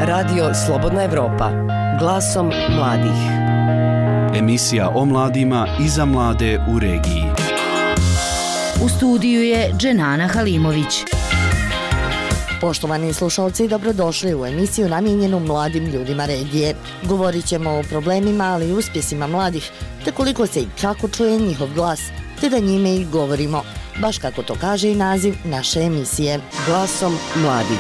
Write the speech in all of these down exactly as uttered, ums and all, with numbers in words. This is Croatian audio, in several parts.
Radio Slobodna Evropa, glasom mladih. Emisija o mladima i za mlade u regiji. U studiju je Dženana Halimović. Poštovani slušalci, dobrodošli u emisiju namijenjenu mladim ljudima regije. Govorit ćemo o problemima, ali i uspjesima mladih, te koliko se i kako čuje njihov glas, te da njime i govorimo, baš kako to kaže i naziv naše emisije. Glasom mladih.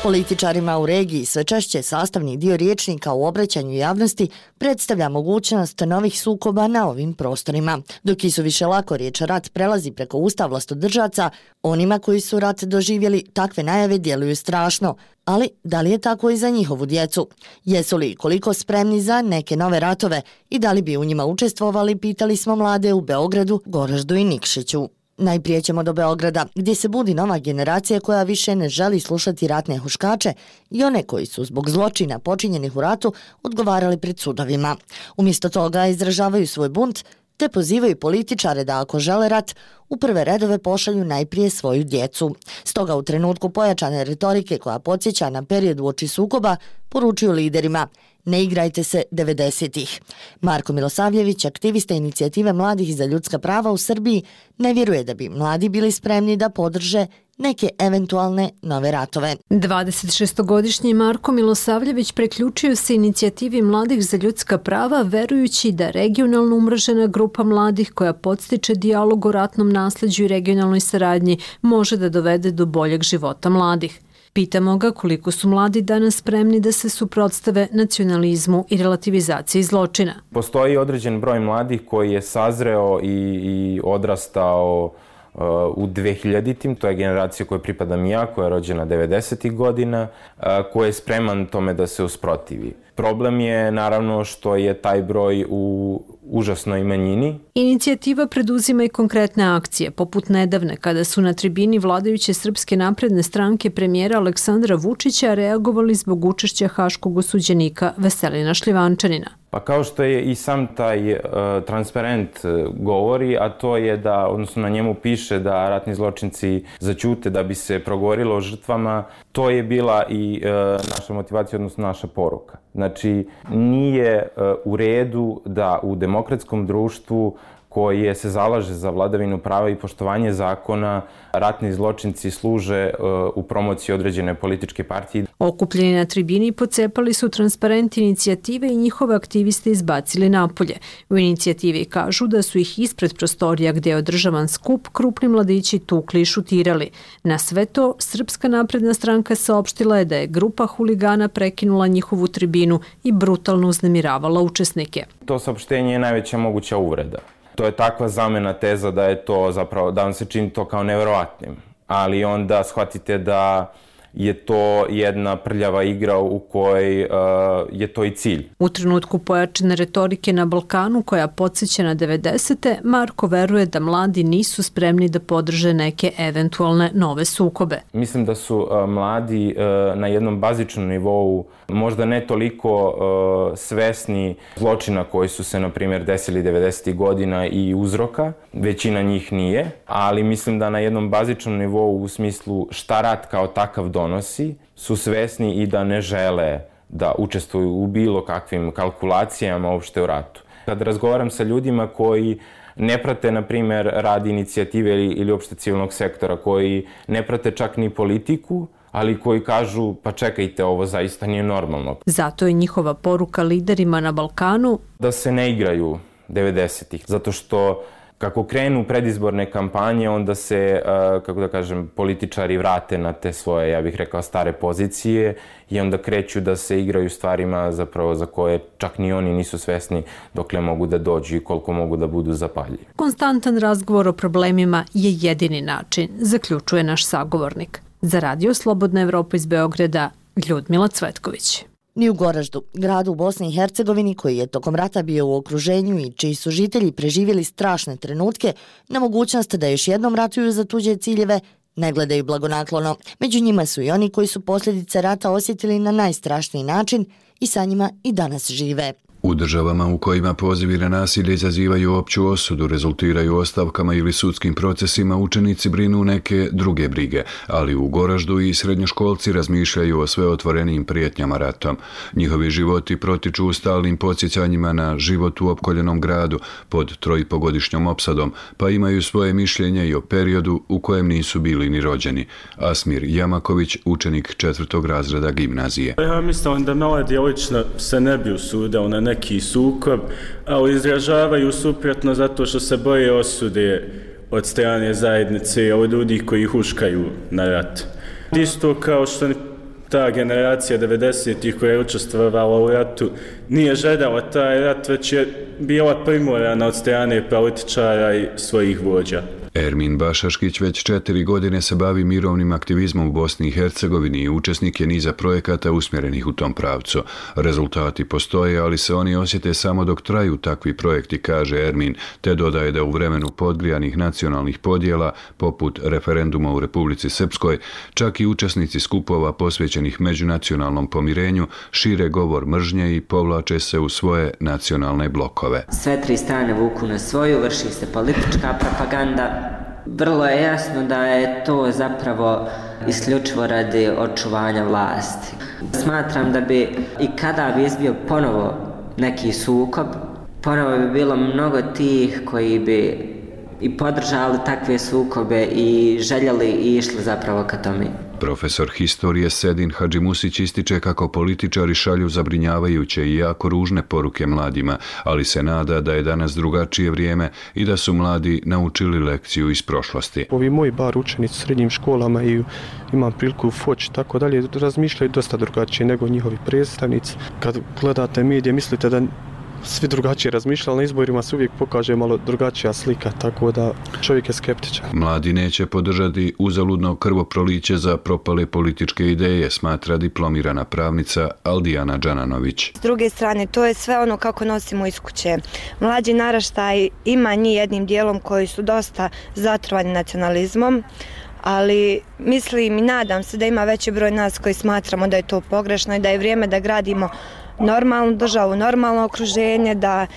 Političarima u regiji sve češće sastavni dio rječnika u obraćanju javnosti predstavlja mogućnost novih sukoba na ovim prostorima. Dok i su više lako riječ rat prelazi preko usta vlastodržaca, onima koji su rat doživjeli takve najave djeluju strašno. Ali da li je tako i za njihovu djecu? Jesu li koliko spremni za neke nove ratove i da li bi u njima učestvovali, pitali smo mlade u Beogradu, Goraždu i Nikšiću. Najprije ćemo do Beograda, gdje se budi nova generacija koja više ne želi slušati ratne huškače i one koji su zbog zločina počinjenih u ratu odgovarali pred sudovima. Umjesto toga izražavaju svoj bunt te pozivaju političare da ako žele rat, u prve redove pošalju najprije svoju djecu. Stoga u trenutku pojačane retorike koja podsjeća na period uoči sukoba, poručuju liderima: ne igrajte se devedesetih. Marko Milosavljević, aktivista inicijative mladih za ljudska prava u Srbiji, ne vjeruje da bi mladi bili spremni da podrže neke eventualne nove ratove. dvadesetšestogodišnji Marko Milosavljević preključio se inicijativi mladih za ljudska prava, verujući da regionalno umrežena grupa mladih koja podstiče dijalog o ratnom nasljeđu i regionalnoj saradnji može da dovede do boljeg života mladih. Pitamo ga koliko su mladi danas spremni da se suprotstave nacionalizmu i relativizaciji zločina. Postoji određen broj mladih koji je sazreo i, i odrastao uh, u dvehiljaditim. To je generacija kojoj pripadam ja, koja je rođena devedesetih godina, uh, koji je spreman tome da se usprotivi. Problem je naravno što je taj broj u užasnoj manjini. Inicijativa preduzima i konkretne akcije, poput nedavne kada su na tribini vladajuće Srpske napredne stranke premijera Aleksandra Vučića reagovali zbog učešća haškog osuđenika Veselina Šljivančanina. Pa kao što je i sam taj uh, transparent uh, govori, a to je da, odnosno na njemu piše da ratni zločinci zaćute da bi se progovorilo o žrtvama, to je bila i uh, naša motivacija, odnosno naša poruka. Znači, nije uh, u redu da u demokratskom društvu koje se zalaže za vladavinu prava i poštovanje zakona, ratni zločinci služe uh, u promociji određene političke partije. Okupljeni na tribini pocepali su transparent inicijative i njihove aktiviste izbacili napolje. U inicijativi kažu da su ih ispred prostorija gdje je održavan skup krupni mladići tukli i šutirali. Na sve to, Srpska napredna stranka saopštila je da je grupa huligana prekinula njihovu tribinu i brutalno uznemiravala učesnike. To saopštenje je najveća moguća uvreda. To je takva zamena teza da je to zapravo, da vam se čini to kao nevjerovatnim. Ali onda shvatite da je to jedna prljava igra u kojoj uh, je to i cilj. U trenutku pojačane retorike na Balkanu koja podsjeća na devedesete, Marko veruje da mladi nisu spremni da podrže neke eventualne nove sukobe. Mislim da su uh, mladi uh, na jednom bazičnom nivou možda ne toliko uh, svesni zločina koji su se, na primjer, desili devedesetih godina i uzroka. Većina njih nije, ali mislim da na jednom bazičnom nivou u smislu šta rat kao takav donosi, su svesni i da ne žele da učestvuju u bilo kakvim kalkulacijama uopšte u ratu. Kad razgovaram sa ljudima koji ne prate, na primjer, rad inicijative ili, ili uopšte civilnog sektora, koji ne prate čak ni politiku, ali koji kažu, pa čekajte, ovo zaista nije normalno. Zato je njihova poruka liderima na Balkanu da se ne igraju devedesetih, zato što kako krenu predizborne kampanje, onda se, kako da kažem, političari vrate na te svoje, ja bih rekao, stare pozicije i onda kreću da se igraju stvarima zapravo za koje čak ni oni nisu svesni dokle mogu da dođu i koliko mogu da budu zapaljivi. Konstantan razgovor o problemima je jedini način, zaključuje naš sagovornik. Za Radio Slobodna Evropa iz Beograda, Ljudmila Cvetković. Ni u Goraždu, gradu u Bosni i Hercegovini koji je tokom rata bio u okruženju i čiji su žitelji preživjeli strašne trenutke, na mogućnost da još jednom ratuju za tuđe ciljeve, ne gledaju blagonaklono. Među njima su i oni koji su posljedice rata osjetili na najstrašniji način i sa njima i danas žive. U državama u kojima pozivi na nasilje izazivaju opću osudu, rezultiraju ostavkama ili sudskim procesima, učenici brinu neke druge brige, ali u Goraždu i srednjoškolci razmišljaju o sve otvorenijim prijetnjama ratom. Njihovi životi protiču u stalnim podsjećanjima na život u opkoljenom gradu pod trojipogodišnjom opsadom, pa imaju svoje mišljenje i o periodu u kojem nisu bili ni rođeni. Asmir Jamaković, učenik četvrtog razreda gimnazije. Ja mislim da mladi lično se ne bi usudili na neki sukob, ali izražavaju suprotno zato što se boje osude od strane zajednice i od ljudi koji huškaju na rat. Isto kao što ta generacija devedesetih koja je učestvovala u ratu nije željela taj rat, već je bila primorana od strane političara i svojih vođa. Ermin Bašaškić već četiri godine se bavi mirovnim aktivizmom u Bosni i Hercegovini i učesnik je niza projekata usmjerenih u tom pravcu. Rezultati postoje, ali se oni osjete samo dok traju takvi projekti, kaže Ermin, te dodaje da u vremenu podgrijanih nacionalnih podjela, poput referenduma u Republici Srpskoj, čak i učesnici skupova posvećenih međunacionalnom pomirenju šire govor mržnje i povlače se u svoje nacionalne blokove. Sve tri strane vuku na svoju, vrši se politička propaganda. Vrlo je jasno da je to zapravo isključivo radi očuvanja vlasti. Smatram da bi i kada bi izbio ponovo neki sukob, ponovo bi bilo mnogo tih koji bi i podržali takve sukobe i željeli i išli zapravo ka tome. Profesor historije Sedin Hadžimusić ističe kako političari šalju zabrinjavajuće i jako ružne poruke mladima, ali se nada da je danas drugačije vrijeme i da su mladi naučili lekciju iz prošlosti. Ovi moji bar učenici u srednjim školama i imam priliku u Foči tako dalje razmišljaju dosta drugačije nego njihovi predstavnici. Kad gledate medije mislite da svi drugačije razmišljali, na izborima se uvijek pokaže malo drugačija slika, tako da čovjek je skeptičan. Mladi neće podržati uzaludno krvoproliće za propale političke ideje, smatra diplomirana pravnica Aldijana Đananović. S druge strane, to je sve ono kako nosimo iz kuće. Mlađi naraštaj ima njih jednim dijelom koji su dosta zatrovani nacionalizmom, ali mislim i nadam se da ima veći broj nas koji smatramo da je to pogrešno i da je vrijeme da gradimo normalnu državu, normalno okruženje, da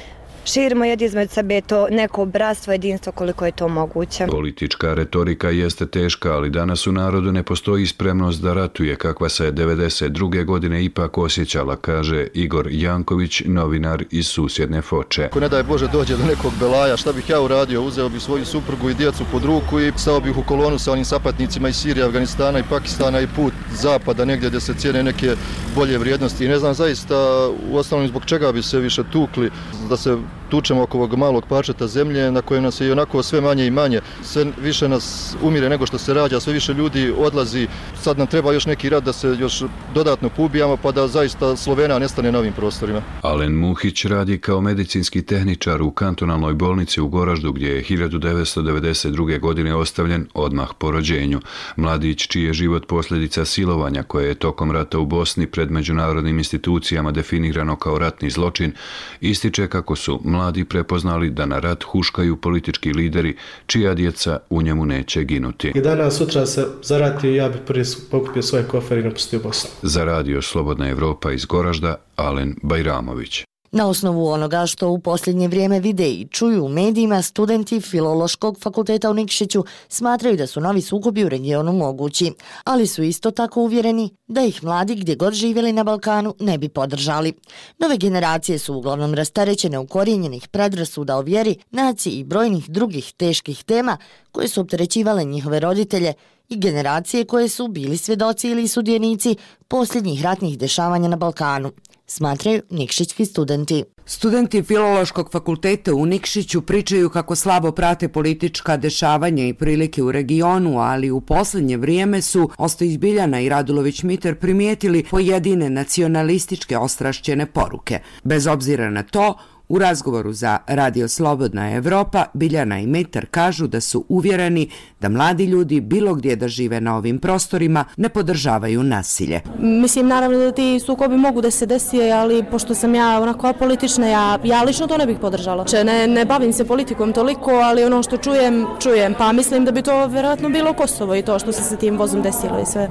širimo jedni između sebe to neko bratstvo, jedinstvo koliko je to moguće. Politička retorika jeste teška, ali danas u narodu ne postoji spremnost da ratuje kakva se devedeset druge godine ipak osjećala, kaže Igor Janković, novinar iz susjedne Foče. Ako ne daj Bože dođe do nekog belaja, šta bih ja uradio? Uzeo bih svoju suprugu i djecu pod ruku i stao bih u kolonu sa onim sapatnicima iz Sirije, Afganistana i Pakistana i put zapada, negdje gdje se cijene neke bolje vrijednosti. I ne znam zaista u osnovnom zbog čega bi se više tukli, da se tučemo oko ovog malog parčeta zemlje na kojem nas je i onako sve manje i manje. Sve više nas umire nego što se rađa, sve više ljudi odlazi. Sad nam treba još neki rat da se još dodatno poubijamo pa da zaista Slovena nestane na ovim prostorima. Alen Muhić radi kao medicinski tehničar u kantonalnoj bolnici u Goraždu gdje je hiljadu devetsto devedeset druge godine ostavljen odmah po rođenju. Mladić čiji je život posljedica silovanja koje je tokom rata u Bosni pred međunarodnim institucijama definirano kao ratni zločin, ističe kako su mladi prepoznali da na rat huškaju politički lideri čija djeca u njemu neće ginuti. I danas sutra se zaratio i ja bih prvi pokupio svoje kofer i napustio Bosnu. Za radio Slobodna Evropa iz Goražda, Alen Bajramović. Na osnovu onoga što u posljednje vrijeme vide i čuju u medijima, studenti Filološkog fakulteta u Nikšiću smatraju da su novi sukobi u regionu mogući, ali su isto tako uvjereni da ih mladi gdje god živjeli na Balkanu ne bi podržali. Nove generacije su uglavnom rasterećene ukorijenjenih predrasuda o vjeri, naciji i brojnih drugih teških tema koje su opterećivale njihove roditelje i generacije koje su bili svjedoci ili sudjenici posljednjih ratnih dešavanja na Balkanu, smatraju nikšićki studenti. Studenti Filološkog fakulteta u Nikšiću pričaju kako slabo prate politička dešavanja i prilike u regionu, ali u posljednje vrijeme su Ostojić Biljana i Radulović Miter primijetili pojedine nacionalističke ostrašćene poruke. Bez obzira na to, U razgovoru za Radio Slobodna Evropa, Biljana i Mitar kažu da su uvjereni da mladi ljudi bilo gdje da žive na ovim prostorima ne podržavaju nasilje. Mislim, naravno da ti sukobi mogu da se desi, ali pošto sam ja onako apolitična, ja, ja lično to ne bih podržala. Ne, ne bavim se politikom toliko, ali ono što čujem, čujem. Pa mislim da bi to vjerojatno bilo Kosovo i to što se sa tim vozom desilo i sve.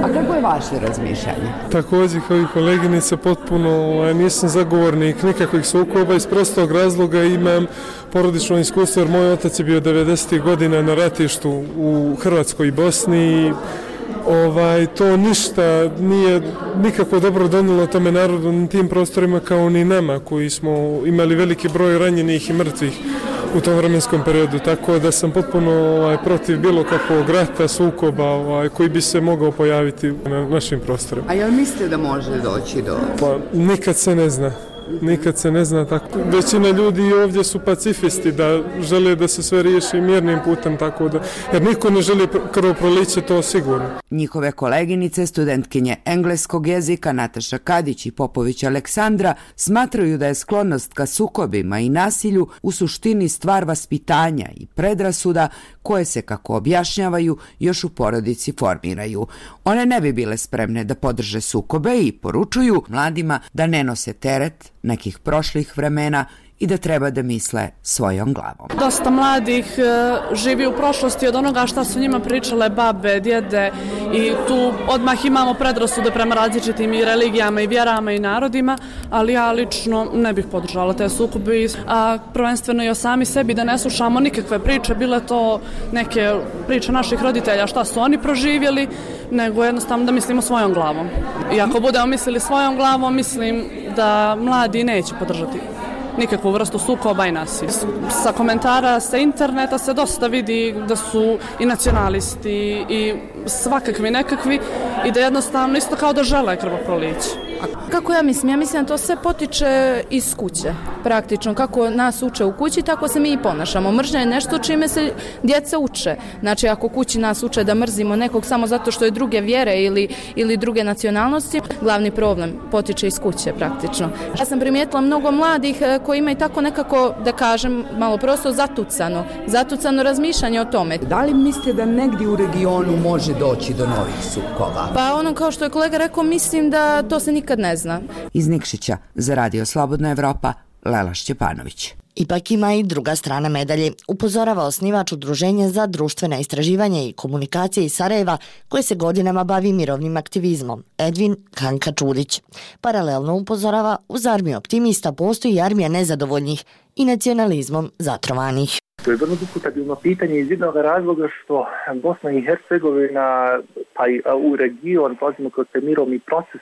A kako je vaše razmišljanje? Također kao i koleginica potpuno nisam zagovornik nikakvih sukoba iz prostog razloga imam porodično iskustvo jer moj otac je bio devedesetih godina na ratištu u Hrvatskoj i Bosni i ovaj, to ništa nije nikako dobro donijelo tome narodu na tim prostorima kao ni nama koji smo imali veliki broj ranjenih i mrtvih u tom vremenskom periodu, tako da sam potpuno ovaj, protiv bilo kakvog rata, sukoba ovaj, koji bi se mogao pojaviti na našim prostorima. A jel mislite da može doći do... Pa nikad se ne zna. Nikad se ne zna tako. Većina ljudi ovdje su pacifisti da žele da se sve riješi mirnim putem, tako da, jer niko ne želi krvoproliće, to sigurno. Njihove koleginice, studentkinje engleskog jezika Nataša Kadić i Popović Aleksandra smatraju da je sklonost ka sukobima i nasilju u suštini stvar vaspitanja i predrasuda koje se, kako objašnjavaju, još u porodici formiraju. One ne bi bile spremne da podrže sukobe i poručuju mladima da ne nose teret nekih prošlih vremena i da treba da misle svojom glavom. Dosta mladih e, živi u prošlosti od onoga šta su njima pričale babe, djede i tu odmah imamo predrasude prema različitim i religijama i vjerama i narodima, ali ja lično ne bih podržala te sukobe, a prvenstveno i o sami sebi da ne slušamo nikakve priče, bile to neke priče naših roditelja šta su oni proživjeli, nego jednostavno da mislimo svojom glavom. I ako budemo mislili svojom glavom, mislim da mladi neće podržati nikakvu vrstu sukoba i nasilja. Sa komentara sa interneta se dosta vidi da su i nacionalisti i svakakvi nekakvi i da jednostavno isto kao da žele krvoproliće. Kako ja mislim? Ja mislim da to sve potiče iz kuće. Praktično, kako nas uče u kući, tako se mi i ponašamo. Mržnja je nešto čime se djeca uče. Znači, ako kući nas uče da mrzimo nekog samo zato što je druge vjere ili, ili druge nacionalnosti, glavni problem potiče iz kuće praktično. Ja sam primijetila mnogo mladih koji imaju tako nekako, da kažem, malo prosto zatucano. Zatucano razmišljanje o tome. Da li mislite da negdje u regionu može doći do novih sukoba? Pa ono kao što je kolega rekao, mislim da to se nikad ne zna. Iz Nikšića za Radio Slobodna Evropa, Lela Šćepanović. Ipak ima i druga strana medalje, upozorava osnivač Udruženja za društvena istraživanja i komunikacije iz Sarajeva, koje se godinama bavi mirovnim aktivizmom, Edvin Kanka-Čurić. Paralelno upozorava, uz armiju optimista postoji i armija nezadovoljnih i nacionalizmom zatrovanih. To je vrlo diskutabilno pitanje iz jednog razloga što Bosna i Hercegovina, pa i u region, pozimo kroz taj mirovni proces,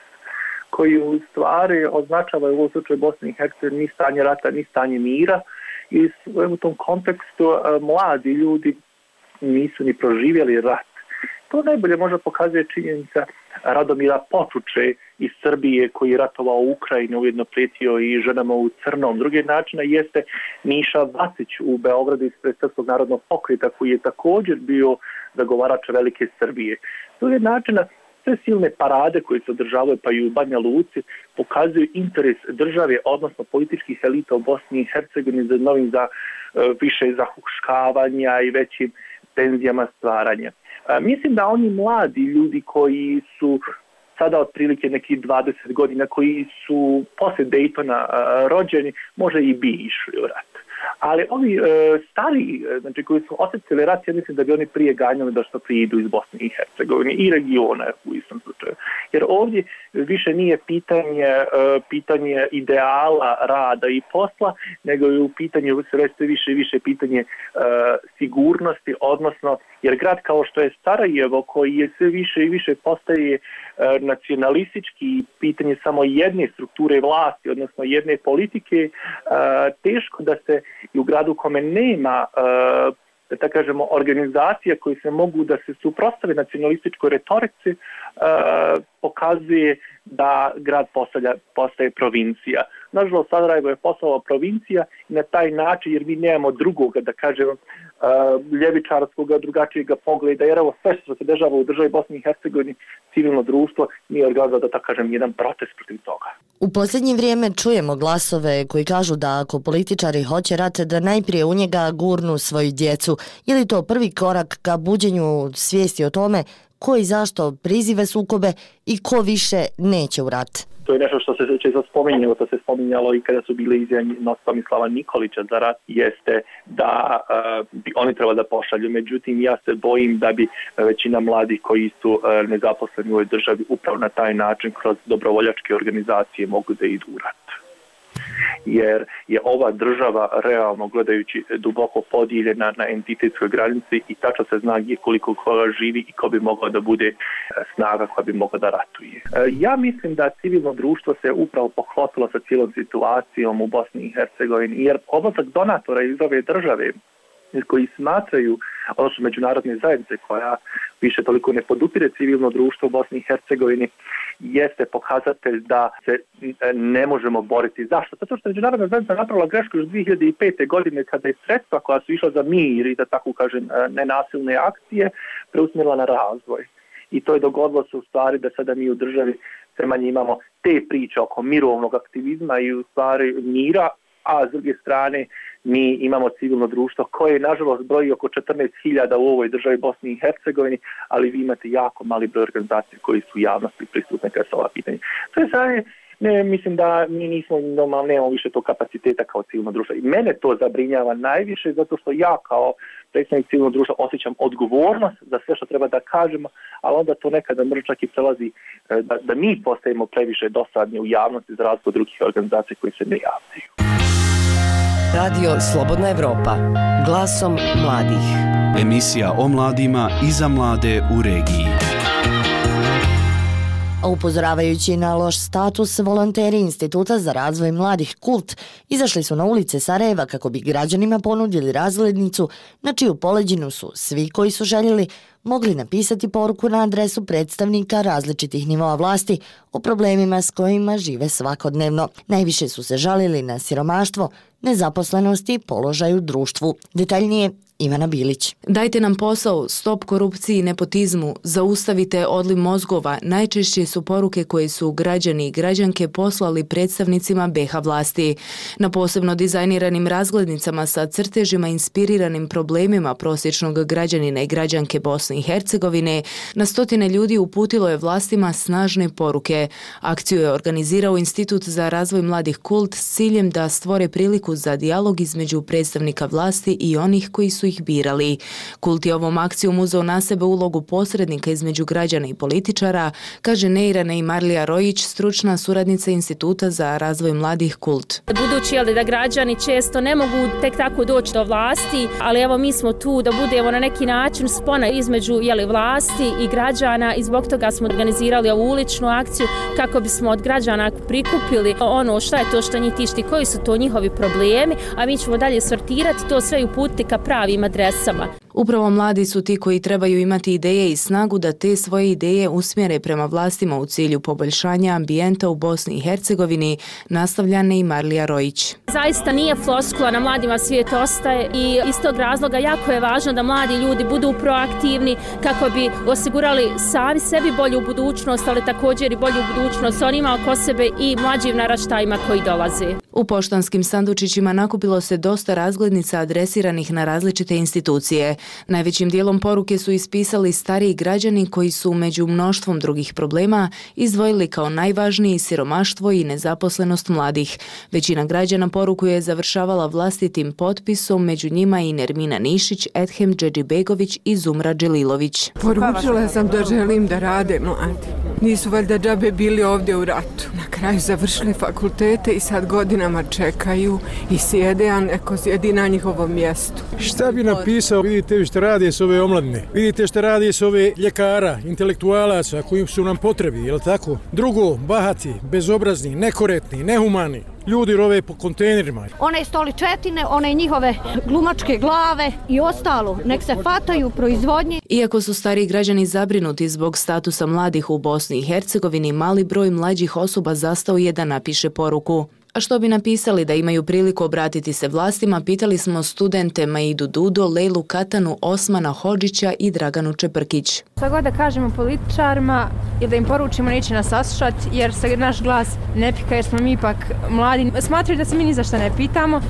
koji u stvari označava u ovom slučaju Bosne i Hercegovine ni stanje rata, ni stanje mira. I u tom kontekstu mladi ljudi nisu ni proživjeli rat. To najbolje možda pokazuje činjenica Radomira Počuče iz Srbije koji je ratovao u Ukrajini, ujedno prijetio i ženama u crnom. Drugi način jeste Miša Vacić u Beogradu ispred Srpskog narodnog pokreta koji je također bio zagovarač velike Srbije. Drugi način sve silne parade koje se održavaju pa i u Banja Luci pokazuju interes države, odnosno političkih elita u Bosni i Hercegovini za novim za više zahuškavanja i većim tenzijama stvaranja. Mislim da oni mladi ljudi koji su sada otprilike nekih dvadeset godina, koji su poslije Daytona rođeni, možda i bi išli u rat. Ali ovi e, stari, znači koji su osjetili rat, ja mislim da bi oni prije ganjali da što prije idu iz Bosne i Hercegovine i regiona u istom slučaju. Jer ovdje više nije pitanje, e, pitanje ideala rada i posla, nego je u pitanju sve više i više pitanje e, sigurnosti, odnosno jer grad kao što je Sarajevo, koji je sve više i više postaje e, nacionalistički, pitanje samo jedne strukture vlasti, odnosno jedne politike, e, teško da se i u gradu u kome nema uh, da tako kažemo organizacija koje se mogu da se suprotstave nacionalističkoj retorici, uh, pokazuje da grad postaje, postaje provincija. Nažalost, Sarajevo je postala provincija i na taj način, jer mi nemamo drugoga, da kažemo, ljevičarskog, drugačijeg pogleda, jer evo sve što se dešava u državi Bosni i Hercegovini, civilno društvo nije organizovalo, da tako kažem, jedan protest protiv toga. U posljednje vrijeme čujemo glasove koji kažu da ako političari hoće rat, da najprije u njega gurnu svoju djecu. Je li to prvi korak ka buđenju svijesti o tome ko i zašto prizive sukobe i ko više neće u rat? To je nešto što se često spominjalo, to se spominjalo i kada su bile izjave Tomislava Nikolića za rat, jeste da uh, bi oni trebali da pošalju. Međutim, ja se bojim da bi većina mladih koji su uh, nezaposleni u ovoj državi upravo na taj način kroz dobrovoljačke organizacije mogu da idu u rat. Jer je ova država realno gledajući duboko podijeljena na entitetskoj granici i tačno se zna gdje koliko koga živi i ko bi mogao da bude snaga koja bi mogla da ratuje. Ja mislim da civilno društvo se upravo poklopilo sa cijelom situacijom u Bosni i Hercegovini, jer odlazak donatora iz ove države koji smatraju, odnosno međunarodne zajednice koja više toliko ne podupire civilno društvo u Bosni i Hercegovini, jeste pokazatelj da se ne možemo boriti. Zašto? Zato što međunarodna zajednica napravila grešku još dvije hiljade pete. godine kada je sredstva koja su išla za mir i da tako kažem nenasilne akcije preusmjerila na razvoj. I to je dogodilo se u stvari da sada mi u državi sve manje imamo te priče oko mirovnog aktivizma i u stvari mira, a s druge strane mi imamo civilno društvo koje nažalost broji oko četrnaest hiljada u ovoj državi Bosni i Hercegovini, ali vi imate jako mali broj organizacija koji su u javnosti prisutne kada su ova pitanja. To je sad, ne, mislim da mi nismo normalno, nemamo više tog kapaciteta kao civilno društvo. I mene to zabrinjava najviše zato što ja kao predstavnik civilnog društva osjećam odgovornost za sve što treba da kažemo, ali onda to nekada može čak i prelazi da, da mi postajemo previše dosadni u javnosti za razliku od drugih organizacija koji se ne javljaju. Radio Slobodna Evropa, glasom mladih. Emisija o mladima i za mlade u regiji. A upozoravajući na loš status, volonteri Instituta za razvoj mladih Kult izašli su na ulice Sarajeva kako bi građanima ponudili razglednicu na čiju poleđinu su svi koji su željeli mogli napisati poruku na adresu predstavnika različitih nivoa vlasti o problemima s kojima žive svakodnevno. Najviše su se žalili na siromaštvo, nezaposlenost i položaj u društvu. Detaljnije Ivana Bilić. Dajte nam posao, stop korupciji i nepotizmu, zaustavite odliv mozgova, najčešće su poruke koje su građani i građanke poslali predstavnicima be ha vlasti. Na posebno dizajniranim razglednicama sa crtežima inspiriranim problemima prosječnog građanina i građanke Bosne i Hercegovine, na stotine ljudi uputilo je vlastima snažne poruke. Akciju je organizirao Institut za razvoj mladih Kult s ciljem da stvore priliku za dijalog između predstavnika vlasti i onih koji su ih birali. Kult je ovom akcijom uzeo na sebe ulogu posrednika između građana i političara, kaže Neira Neymarlija Rojić, stručna suradnica Instituta za razvoj mladih Kult. Budući je li da građani često ne mogu tek tako doći do vlasti, ali evo mi smo tu da budemo na neki način spona između je li vlasti i građana i zbog toga smo organizirali ovu uličnu akciju kako bismo od građana prikupili ono šta je to što njih tišti, koji su to njihovi problemi, a mi ćemo dalje sortirati to sve i uputiti ka pravim adresama. Upravo mladi su ti koji trebaju imati ideje i snagu da te svoje ideje usmjere prema vlastima u cilju poboljšanja ambijenta u Bosni i Hercegovini, nastavlja Neymarlija Rojić. Zaista nije floskula, na mladima svijet ostaje i iz tog razloga jako je važno da mladi ljudi budu proaktivni kako bi osigurali sami sebi bolju budućnost, ali također i bolju budućnost onima oko sebe i mlađim naraštajima koji dolaze. U poštanskim sandučićima nakupilo se dosta razglednica adresiranih na različite institucije. Najvećim dijelom poruke su ispisali stariji građani koji su među mnoštvom drugih problema izdvojili kao najvažniji siromaštvo i nezaposlenost mladih. Većina građana poruku je završavala vlastitim potpisom, među njima i Nermina Nišić, Edhem Džedžibegović i Zumra Dželilović. Poručila sam da želim da rade mladi. Nisu valjda džabe bili ovdje u ratu. Na kraju završili fakultete i sad godinama čekaju i sjede, a neko sjedi na njihovom mjestu. Šta bi napisao? Vidite što radi s ove omladine. Vidite što radi s ove ljekara, intelektualaca koji su nam potrebi, je li tako? Drugo, bahati, bezobrazni, nekorektni, nehumani. Ljudi rove po kontejnerima. One stoličetine, one njihove glumačke glave i ostalo, nek se fataju proizvodnje. Iako su stari građani zabrinuti zbog statusa mladih u Bosni i Hercegovini, mali broj mlađih osoba zastao je da napiše poruku. A što bi napisali da imaju priliku obratiti se vlastima, pitali smo studente Maidu Dudo, Lejlu Katanu, Osmana Hodžića i Draganu Čeprkić. Šta god da kažemo političarima ili da im poručimo neće nas saslušati jer se naš glas ne pika jer smo mi ipak mladi. Smatraju da se mi ni za šta ne pitamo,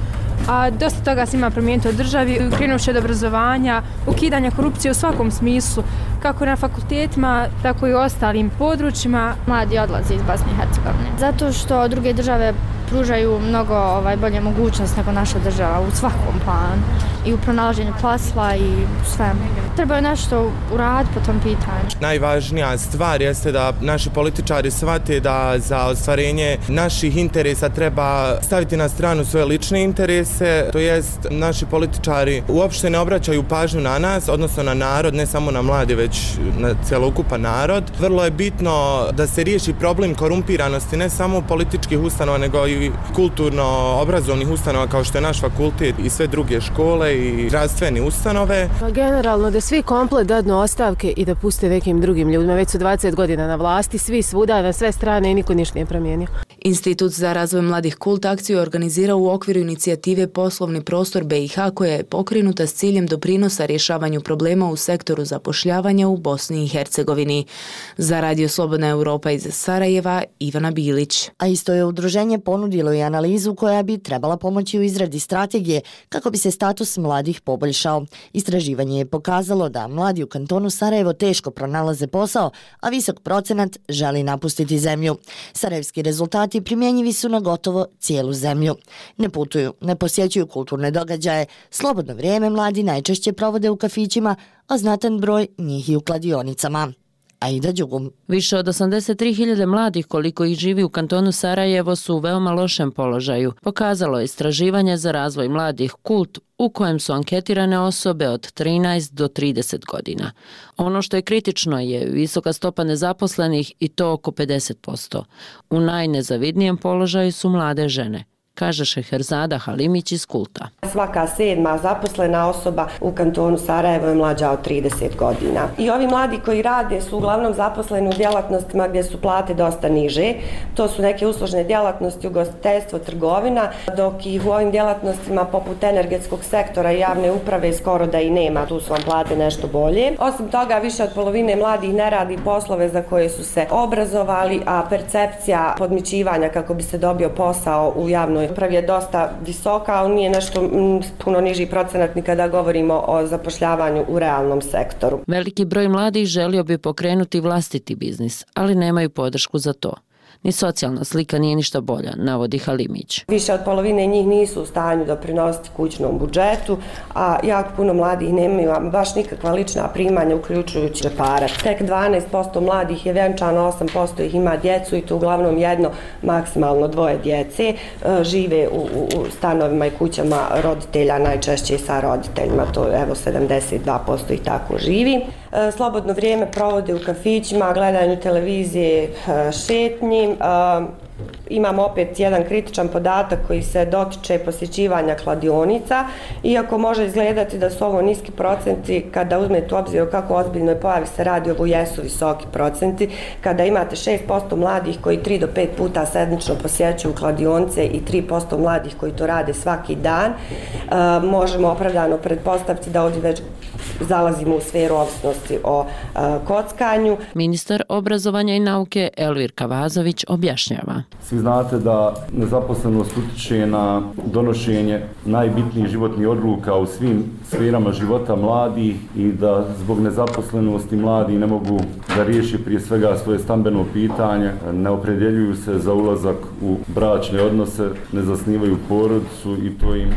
a dosta toga se ima promijeniti u državi, krenuši od obrazovanja, ukidanja korupcije u svakom smislu, kako na fakultetima, tako i u ostalim područjima. Mladi odlaze iz Bosne i Hercegovine, zato što druge države pružaju mnogo ovaj, bolje mogućnosti nego naša država u svakom planu. I u pronalaženju posla i sve. Treba nešto uraditi po tom pitanju. Najvažnija stvar jeste da naši političari shvate da za ostvarenje naših interesa treba staviti na stranu svoje lične interese, to jest naši političari uopšte ne obraćaju pažnju na nas, odnosno na narod, ne samo na mlade, već na celokupan narod. Vrlo je bitno da se riješi problem korumpiranosti ne samo političkih ustanova, nego i kulturno-obrazovnih ustanova kao što je naš fakultet i sve druge škole i zdravstvene ustanove. Pa generalno da svi komplet dadnu ostavke i da puste nekim drugim ljudima. Već su dvadeset godina na vlasti, svi svuda, na sve strane i niko ništa nije promijenio. Institut za razvoj mladih Kult akciju je organizirao u okviru inicijative Poslovni prostor B i H koja je pokrenuta s ciljem doprinosa rješavanju problema u sektoru zapošljavanja u Bosni i Hercegovini. Za Radio Slobodna Europa iz Sarajeva, Ivana Bilić. A isto je udruženje ponudilo i analizu koja bi trebala pomoći u izradi strategije kako bi se status mladih poboljšao. Istraživanje je pokazalo da mladi u kantonu Sarajevo teško pronalaze posao, a visok procenat želi napustiti zemlju. Sarajevski rezultati primjenjivi su na gotovo cijelu zemlju. Ne putuju, ne posjećuju kulturne događaje, slobodno vrijeme mladi najčešće provode u kafićima, a znatan broj njih i u kladionicama. Aida Đugum. Više od osamdeset tri hiljade mladih koliko ih živi u kantonu Sarajevo su u veoma lošem položaju. Pokazalo je istraživanje za razvoj mladih Kult u kojem su anketirane osobe od trinaest do trideset godina. Ono što je kritično je visoka stopa nezaposlenih i to oko pedeset posto. U najnezavidnijem položaju su mlade žene, kaže Šeherzada Halimić iz Kulta. Svaka sedma zaposlena osoba u kantonu Sarajevo je mlađa od trideset godina. I ovi mladi koji rade su uglavnom zaposleni u djelatnostima gdje su plate dosta niže. To su neke uslužne djelatnosti, ugostiteljstvo, trgovina, dok ih u ovim djelatnostima poput energetskog sektora i javne uprave skoro da i nema. Tu su vam plate nešto bolje. Osim toga, više od polovine mladih ne radi poslove za koje su se obrazovali, a percepcija podmićivanja kako bi se dobio posao u javnoj upravi je dosta visoka, ali nije nešto m, puno niži procenat ni kada govorimo o zapošljavanju u realnom sektoru. Veliki broj mladih želio bi pokrenuti vlastiti biznis, ali nemaju podršku za to. Ni socijalna slika nije ništa bolja, navodi Halimić. Više od polovine njih nisu u stanju doprinositi kućnom budžetu, a jako puno mladih nemaju baš nikakva lična primanja, uključujući džeparac. Tek dvanaest posto mladih je vjenčano, osam posto ih ima djecu i to uglavnom jedno, maksimalno dvoje djece. Žive u, u stanovima i kućama roditelja, najčešće sa roditeljima, to je evo sedamdeset dva posto ih tako živi. Slobodno vrijeme provode u kafićima, gledanju televizije, šetnji. Imamo opet jedan kritičan podatak koji se dotiče posjećivanja kladionica. Iako može izgledati da su ovo niski procenti, kada uzmete u obzir o kako ozbiljnoj pojavi se radi, ovo jesu visoki procenti. Kada imate šest posto mladih koji tri do pet puta sedmično posjećuju kladionice i tri posto mladih koji to rade svaki dan, možemo opravdano pretpostaviti da ovdje već zalazimo u sferu ovisnosti o kockanju. Ministar obrazovanja i nauke Elvir Kavazović objašnjava. Svi znate da nezaposlenost utiče na donošenje najbitnijih životnih odluka u svim sferama života mladih i da zbog nezaposlenosti mladi ne mogu da riješi prije svega svoje stambeno pitanje, ne opredjeljuju se za ulazak u bračne odnose, ne zasnivaju porodicu i to im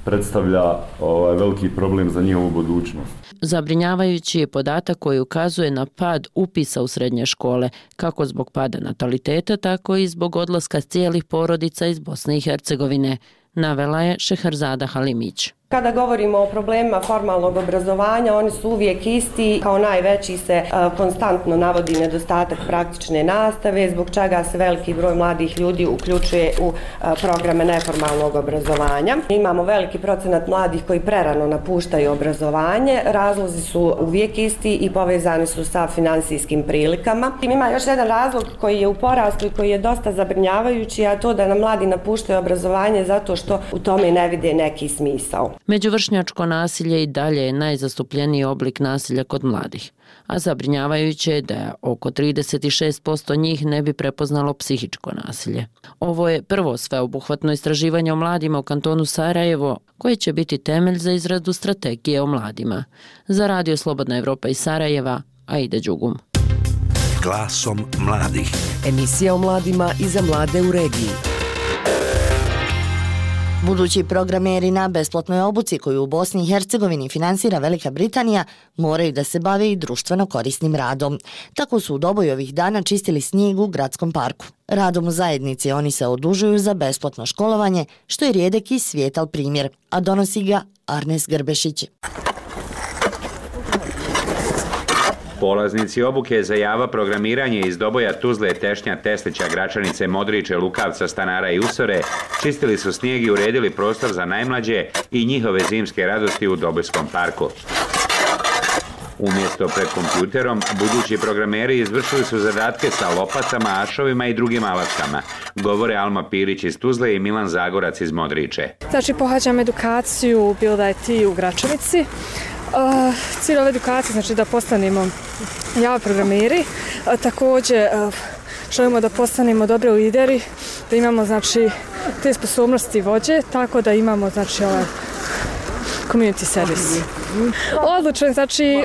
predstavlja ovaj veliki problem za njihovu budućnost. Zabrinjavajući je podatak koji ukazuje na pad upisa u srednje škole, kako zbog pada nataliteta, tako i zbog odlaska cijelih porodica iz Bosne i Hercegovine, navela je Šeherzada Halimić. Kada govorimo o problemima formalnog obrazovanja, oni su uvijek isti. Kao najveći se konstantno navodi nedostatak praktične nastave, zbog čega se veliki broj mladih ljudi uključuje u programe neformalnog obrazovanja. Imamo veliki procenat mladih koji prerano napuštaju obrazovanje. Razlozi su uvijek isti i povezani su sa finansijskim prilikama. Ima još jedan razlog koji je u porastu i koji je dosta zabrinjavajući, a to da nam mladi napuštaju obrazovanje zato što u tome ne vide neki smisao. Međuvršnjačko nasilje i dalje je najzastupljeniji oblik nasilja kod mladih, a zabrinjavajuće je da oko trideset šest posto njih ne bi prepoznalo psihičko nasilje. Ovo je prvo sveobuhvatno istraživanje o mladima u kantonu Sarajevo, koje će biti temelj za izradu strategije o mladima. Za Radio Slobodna Evropa iz Sarajeva, Aida Đugum. Glasom mladih. Emisija o mladima i za mlade u regiji. Budući programeri na besplatnoj obuci koju u Bosni i Hercegovini finansira Velika Britanija moraju da se bave i društveno korisnim radom. Tako su u Doboju ovih dana čistili snijeg u gradskom parku. Radom u zajednici oni se odužuju za besplatno školovanje, što je rijedak i svijetal primjer, a donosi ga Arnes Grbešić. Polaznici obuke za Java programiranje iz Doboja, Tuzle, Tešnja, Teslića, Gračanice, Modriče, Lukavca, Stanara i Usore čistili su snijeg i uredili prostor za najmlađe i njihove zimske radosti u Dobojskom parku. Umjesto pred kompjuterom, budući programeri izvršili su zadatke sa lopatama, ašovima i drugim alatkama, govore Alma Pilić iz Tuzle i Milan Zagorac iz Modriče. Znači, pohađam edukaciju u Build I T u Gračanici. Uh, cilj ove edukacije znači da postanemo Java programeri, uh, također uh, želimo da postanemo dobri lideri, da imamo znači te sposobnosti vođe, tako da imamo znači ovaj community service. Odlučen, znači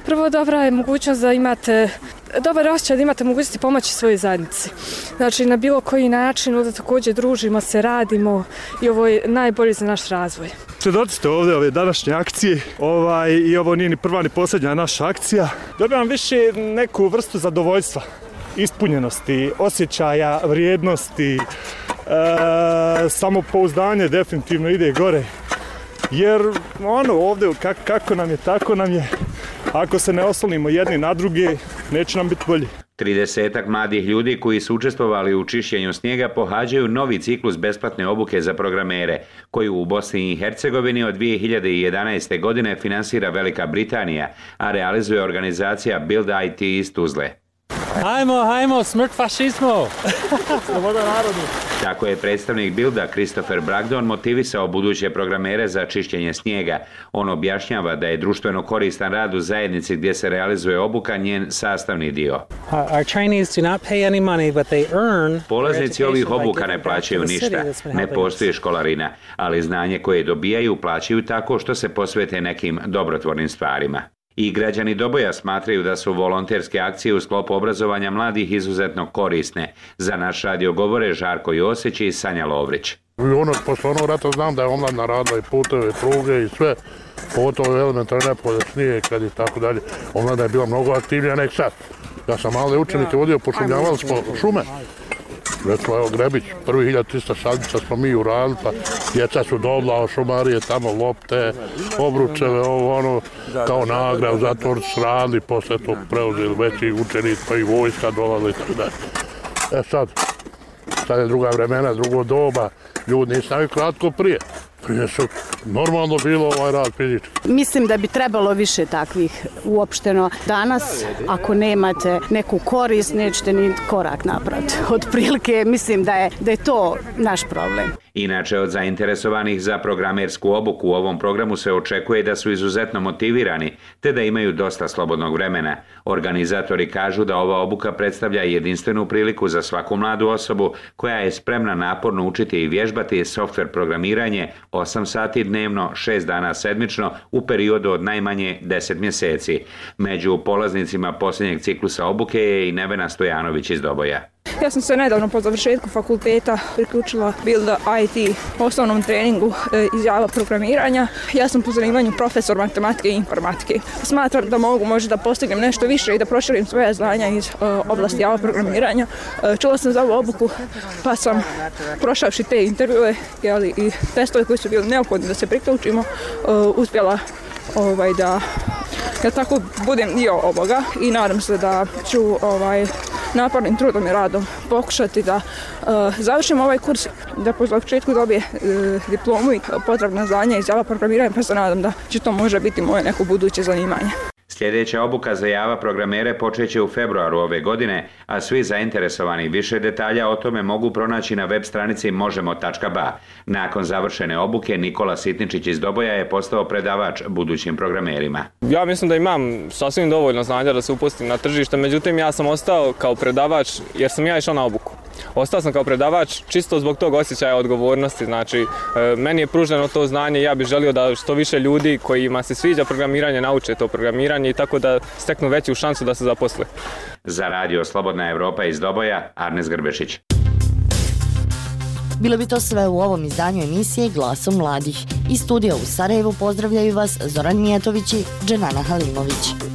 prvo dobra je mogućnost da imate dobar osjećaj da imate mogućnosti pomoći svojoj zajednici. Znači na bilo koji način ovdje također družimo se, radimo i ovo je najbolje za naš razvoj. Svjedoci ste ovdje ove današnje akcije ovaj, i ovo nije ni prva ni posljednja naša akcija. Dobijam više neku vrstu zadovoljstva, ispunjenosti, osjećaja, vrijednosti, e, samopouzdanje definitivno ide gore. Jer ono ovdje kak, kako nam je, tako nam je. Ako se ne oslonimo jedni na druge, neće nam biti bolje. Tridesetak mladih ljudi koji su učestvovali u čišćenju snijega pohađaju novi ciklus besplatne obuke za programere, koju u Bosni i Hercegovini od dvije hiljade jedanaeste. godine finansira Velika Britanija, a realizuje organizacija Build I T iz Tuzle. Hajmo, hajmo, smrt fašizmu! Sloboda narodu! Tako je predstavnik Bilda Christopher Bragdon motivisao buduće programere za čišćenje snijega. On objašnjava da je društveno koristan rad u zajednici gdje se realizuje obuka njen sastavni dio. Our trainees do not pay any money, but they earn. Polaznici ovih obuka ne plaćaju ništa, ne postoji školarina, ali znanje koje dobijaju plaćaju tako što se posvete nekim dobrotvornim stvarima. I građani Doboja smatraju da su volonterske akcije u sklopu obrazovanja mladih izuzetno korisne. Za naš radio govore Žarko Josić i Sanja Lovrić. Ono, posle onog rata znam da je omladna radila i puteve, pruge i sve, pogotovo elementarne nepolje, snije, kad i tako dalje. Omladna je bila mnogo aktivnija nek sad. Ja sam male učenike vodio, pošumljavali smo šume. Recimo, evo Grebić, prvi hiljadu trista sadnica smo mi uradili, pa djeca su dobila, šumarije, tamo lopte, obručeve, ovo ono, kao nagradu, zatvor su radili, posle to preuzeli veći učenici, pa i vojska dolazili i tako dalje. E sad, sad je druga vremena, drugo doba, ljudi nisu navikli kratko prije. Prije su normalno bilo ovaj rad fizički. Mislim da bi trebalo više takvih uopšteno. Danas, ako nemate neku korist, nećete ni korak napraviti. Otprilike, mislim da je, da je to naš problem. Inače, od zainteresovanih za programersku obuku u ovom programu se očekuje da su izuzetno motivirani, te da imaju dosta slobodnog vremena. Organizatori kažu da ova obuka predstavlja jedinstvenu priliku za svaku mladu osobu koja je spremna naporno učiti i vježbati softver programiranje osam sati dnevno, šest dana sedmično u periodu od najmanje deset mjeseci. Među polaznicima posljednjeg ciklusa obuke je i Nevena Stojanović iz Doboja. Ja sam se nedavno po završetku fakulteta priključila Build I T osnovnom treningu iz Java programiranja. Ja sam po zanimanju profesor matematike i informatike. Smatram da mogu možda da postignem nešto više i da proširim svoje znanja iz oblasti Java programiranja. Čula sam za ovu obuku pa sam prošavši te intervjue i testove koji su bili neophodni da se priključimo, uspjela ovaj, da ja tako budem dio ovoga i nadam se da ću ovaj, napornim trudom i radom pokušati da uh, završim ovaj kurs, da po završetku dobije uh, diplomu i potrebna znanja iz Java programiranja, pa se nadam da će to može biti moje neko buduće zanimanje. Sljedeća obuka za Java programere počeće u februaru ove godine, a svi zainteresovani više detalja o tome mogu pronaći na web stranici možemo tačka ba. Nakon završene obuke, Nikola Sitničić iz Doboja je postao predavač budućim programerima. Ja mislim da imam sasvim dovoljno znanja da se upustim na tržište, međutim ja sam ostao kao predavač jer sam ja išao na obuku. Ostao sam kao predavač čisto zbog tog osjećaja odgovornosti, znači meni je pruženo to znanje i ja bih želio da što više ljudi kojima se sviđa programiranje nauče to programiranje i tako da steknu veću šansu da se zaposle. Za radio Slobodna Evropa iz Doboja, Arnes Grbešić. Bilo bi to sve u ovom izdanju emisije Glasom mladih. Iz studija u Sarajevu pozdravljaju vas Zoran Mijatović i Dženana Halimović.